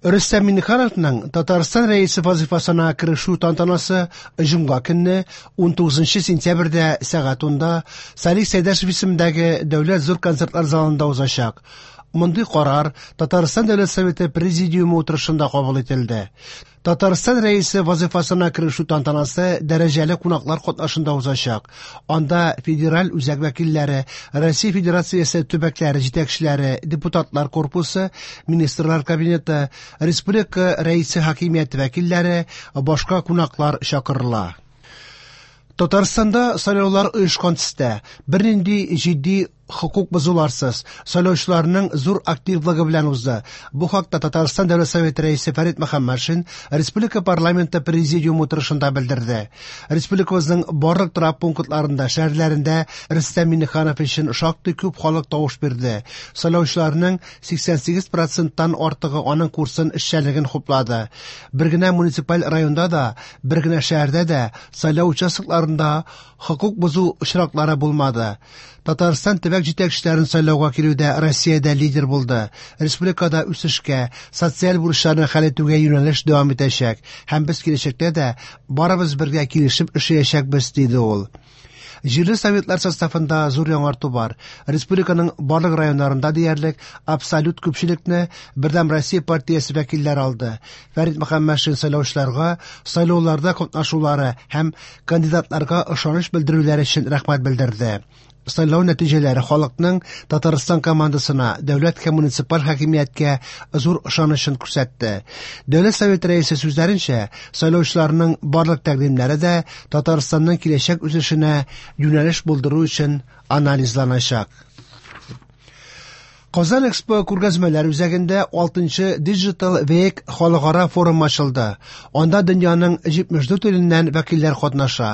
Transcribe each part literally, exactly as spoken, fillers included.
Рөстәм Миңнехановның Татарстан Рәисе вазифасына керешү тантанасы җомга көнне унтугызынчы сентябрьдә сәгать унда Салих Сәйдәшев исемендәге Дәүләт зур концертлар залында узачак. Мондый карар Татарстан Дәүләт Советы Президиумы утырышында кабул ителде. Татарстан Рәисе вазифасына керешү тантанасы дәрәҗәле кунаклар катнашында узачак. Анда федераль үзәк вәкилләре, Россия Федерациясе төбәкләре җитәкчеләре, депутатлар корпусы, министрлар кабинеты, республика Рәисе хакимияте вәкилләре, башка кунаклар чакырыла. Татарстанда сайлаулар оешкан төстә, бернинди җитди хокук бозуларсыз, сайлаучыларның зур активлыгы белән узды. Бу хакта Татарстан Дәүләт Советы Рәисе Фәрит Мөхәммәтшин Республика парламенты президиумы утырышында белдерде. Республикабызның барлык торак пунктларында, шәһәрләрендә Рөстәм Миңнеханов өчен шактый күп халык тавыш бирде. Сайлаучыларның сиксән сигез проценттан артыгы аның курсын эшчәнлеген хуплады. Бер генә муниципаль районда да, бер генә шәһәрдә дә сайлау участокларында хокук бозу очраклары булмады. Татарстан төбәк җитәкчеләрен сайлауга килүдә Россиядә лидер булды. Республикада үсешкә, социаль бурычларны хәл итүгә юнәлеш дәвам итәчәк һәм без киләчәктә дә барыбыз бергә килешеп эшләячәкбез, диде ул. Җирле советлар составында зур яңарту бар. Республиканың барлык районнарында диярлек абсолют күпчелекне Бердәм Россия партиясе вәкилләре алды. Фәрит Мөхәммәтшин сайлаучыларга сайлауларда катнашулары һәм кандидатларга ышаныч белдерүләре өчен рәхмәт белдерде. Сайлау нәтиҗәләре халыкның Татарстан командасына, дәүләт һәм муниципаль хакимияткә зур ышанычын күрсәтте. Дәүләт Советы рәисе сүзләренчә, сайлаучыларның барлык тәкъдимнәре дә Татарстанның киләчәк үсешенә юнәлеш булдыру өчен анализланачак. Казан Экспо күргәзмәләр үзәгендә алтынчы Digital Week халыкара форум ачылды. Анда дөньяның җитмеш дүрт иленнән вәкилләр катнаша.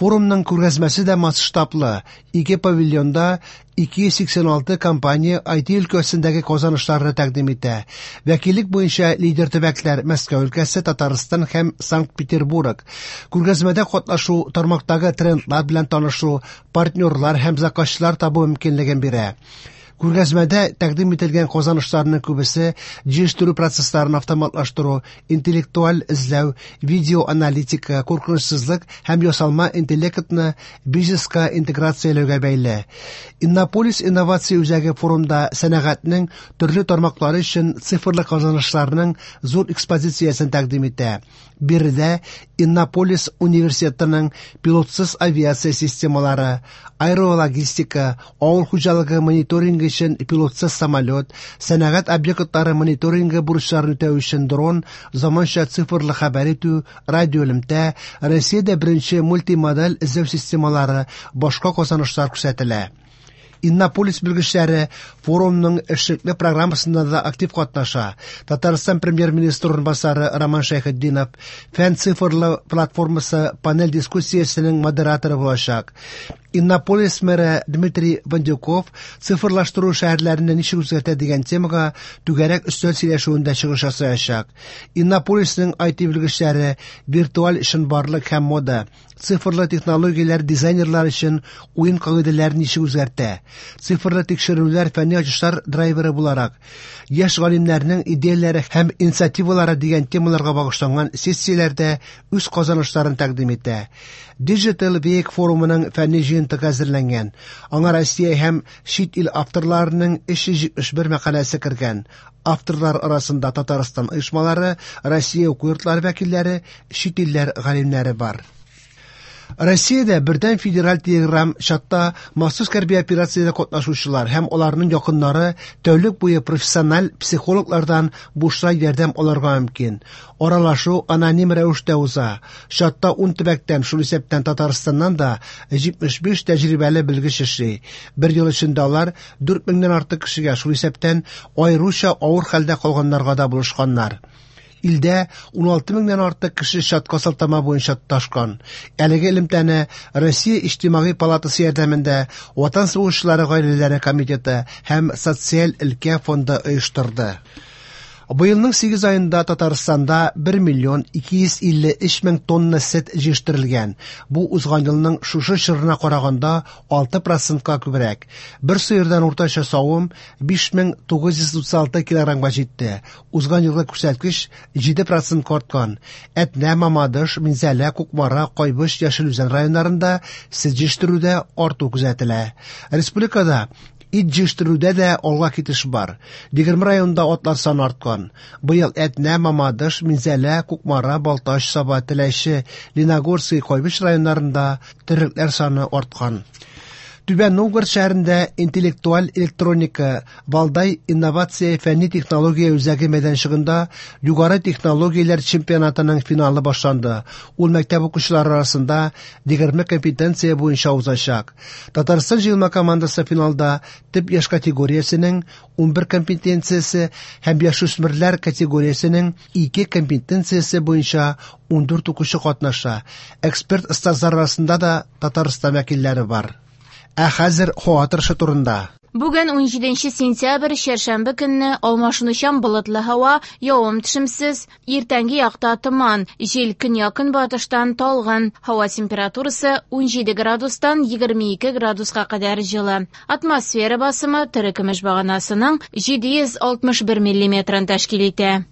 Форумның күргәзмәсе дә масштаблы. Ике павильонда ике йөз сиксән алты компания ай ти өлкәсендәге казанышларны тәкъдим итә. Вәкиллек буенча лидер төбәкләр Мәскәү өлкәсе, Татарстан һәм Санкт-Петербург. Күргәзмәдә катнашу тармактагы трендлар белән танышу, партнерлар һәм заказчылар табу мөмкинлеген бирә. Күргәзмәдә тәкъдим ителгән казанышларның күбесе җыештыру процессларын автоматлаштыру, интеллектуаль эзләү, видеоаналитика, куркынычсызлык һәм ясалма интеллектны бизнеска интеграцияләүгә бәйле. Иннополис инновация үзәге форумда сәнәгатьнең төрле тармаклары өчен цифрлы казанышларның зур экспозициясен тәкъдим итә. Биредә Иннополис университетының пилотсыз авиация системалары, аэрологистика, авыл хуҗалыгы мониторингы өчен пилотсыз самолет, сәнәгать объектлары мониторингы бурычларын үтәү өчен дрон, заманча цифрлы хәбәр итү, радиоэлемтә, Россиядә беренче мультимодаль эзләү системалары, башка казанышлар күрсәтелә. Иннополис белгечләре форумның эшлекле программасында да актив катнаша. Татарстан премьер-министры урынбасары Роман Шәйхетдинов фән цифрлы платформасы панель дискуссиясенең модераторы булачак. Иннополис мэры Дмитрий Вандюков цифрлаштыру шәһәрләрне ничек үзгәртә дигән темага түгәрәк өстәл сөйләшүендә чыгыш ясаячак. Иннополисның ай ти белгечләре виртуаль чынбарлык һәм мода, цифрлы технологияләр дизайнерлар өчен уен кагыйдәләрен ничек үзгәртә, цифрлы тикшерүләр фәнни ачышлар драйверы буларак, яшь галимнәрнең идеяләре һәм инициативалары дигән темаларга багышланган сессияләрдә үз казанышларын тәкъдим итә. Digital Week форумының фәнни җыентыгы әзерләнгән. Аңа Россия һәм чит ил авторларының өч йөз җитмеш бер мәкаләсе кергән. Авторлар арасында Татарстан оешмалары, Россия уку йортлары вәкилләре, чит илләр галимнәре бар. Россиядә бердәм федераль телеграм чатта махсус хәрби операциядә катнашучылар һәм аларның якыннары тәүлек буе профессиональ психологлардан бушлай ярдәм алырга мөмкин. Аралашу аноним рәвештә уза. Чатта ун төбәктән, шул исәптән Татарстаннан да җитмеш биш тәҗрибәле белгеч эшли. Бер ел эчендә алар дүрт меңнән артык кешегә, шул исәптән аеруча авыр хәлдә калганнарга да булышканнар. Илдә ун алты меңнән артык кеше чатка сылтама буенча тоташкан. Әлеге элемтәне Россия Иҗтимагый палатасы ярдәмендә Ватан сугышчылары гаиләләре комитеты һәм Социаль өлкә фонды оештырды. Быелның сигез аенда Татарстанда бер миллион ике йөз илле өч мең тонна сөт җыештырылган. Бу узган елның шушы чорына караганда алты процентка күбрәк. Бер сыердан уртача савым биш мең тугыз йөз утыз алты килограммга җитте. Узган елгы күрсәткеч җиде процентка арткан. Әтнә, Мамадыш, Минзәлә, Кукмара, Кайбыч, Яшел Үзән районнарында сөт җыештыруда арту күзәтелә. Республикада ит җыештыруда да алга китеш бар. Егерме районда атлар саны арткан. Быел Әтнә, Мамадыш, Минзәлә, Кукмара, Балтач, Саба, Теләче, Лениногорский, Кайбыч районнарында терлекләр саны арткан. Түбән Новгород шәһәрендә интеллектуаль электроника Валдай инновация фәнни технология үзәге мәйданчыгында югары технологияләр чемпионатының финалы башланды. Ул мәктәп укучылары арасында егерме компетенция буенча узачак. Татарстан җыелма командасы финалда төп яшь категориясенең унбер компетенциясе һәм яшүсмерләр категориясенең ике компетенциясе буенча ундүрт укучы катнаша. Эксперт остазлар арасында да Татарстан вәкилләре бар. Ә хәзер һава торышы турында. Бүген унҗиденче сентябрь, чәршәмбе көнне алмашынучан болытлы һава, явым-төшемсез, иртәнге якта томан, җил көньяк-көнбатыштан талгын, һава температурасы унҗиде градустан егерме ике градуска кадәр җылы. Атмосфера басымы терекөмеш баганасының җиде йөз алтмыш бер миллиметрын тәшкил итә.